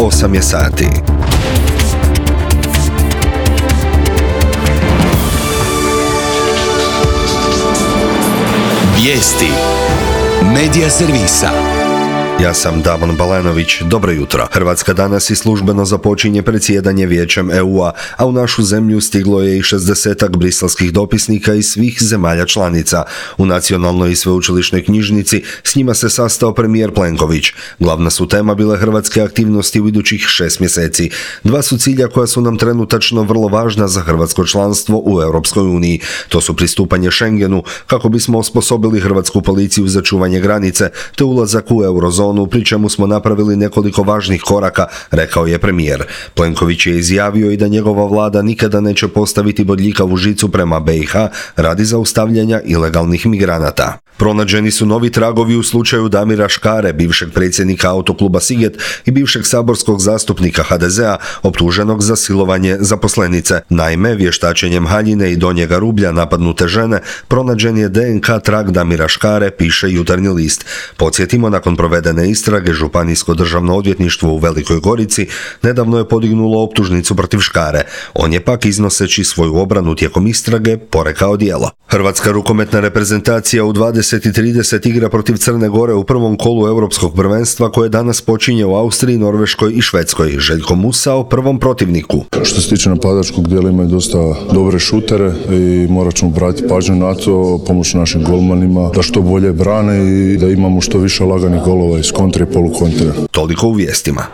8 je sati. Vijesti Medija servisa. Ja sam Damon Balenović, dobro jutro. Hrvatska danas i službeno započinje predsjedanje Vijećem EU-a, a u našu zemlju stiglo je i 60-ak briselskih dopisnika iz svih zemalja članica. U nacionalnoj i sveučilišnoj knjižnici s njima se sastao premijer Plenković. Glavna su tema bile hrvatske aktivnosti u idućih 6 mjeseci. Dva su cilja koja su nam trenutačno vrlo važna za hrvatsko članstvo u Europskoj uniji. To su pristupanje Schengenu, kako bismo osposobili hrvatsku policiju za čuvanje granice, te ulazak u eurozonu, pri čemu smo napravili nekoliko važnih koraka, rekao je premijer. Plenković je izjavio i da njegova vlada nikada neće postaviti bodljikavu žicu prema BiH radi zaustavljanja ilegalnih migranata. Pronađeni su novi tragovi u slučaju Damira Škare, bivšeg predsjednika Autokluba Siget i bivšeg saborskog zastupnika HDZ-a, optuženog za silovanje zaposlenice. Naime, vještačenjem haljine i donjega rublja napadnute žene pronađen je DNK trag Damira Škare, piše Jutarnji list. Podsjetimo, nakon provedene istrage, Županijsko državno odvjetništvo u Velikoj Gorici nedavno je podignulo optužnicu protiv Škare. On je pak, iznoseći svoju obranu tijekom istrage, porekao djelo. Hrvatska rukometna reprezentacija u 20:30 igra protiv Crne Gore u prvom kolu Europskog prvenstva koje danas počinje u Austriji, Norveškoj i Švedskoj. Željko Musa o prvom protivniku. Što se tiče napadačkog dijela, imaju dosta dobre šutere i morat ćemo obratiti pažnju na to, pomoći našim golmanima da što bolje brane i da imamo što više laganih golova iz kontre i polukontre. Toliko u vijestima.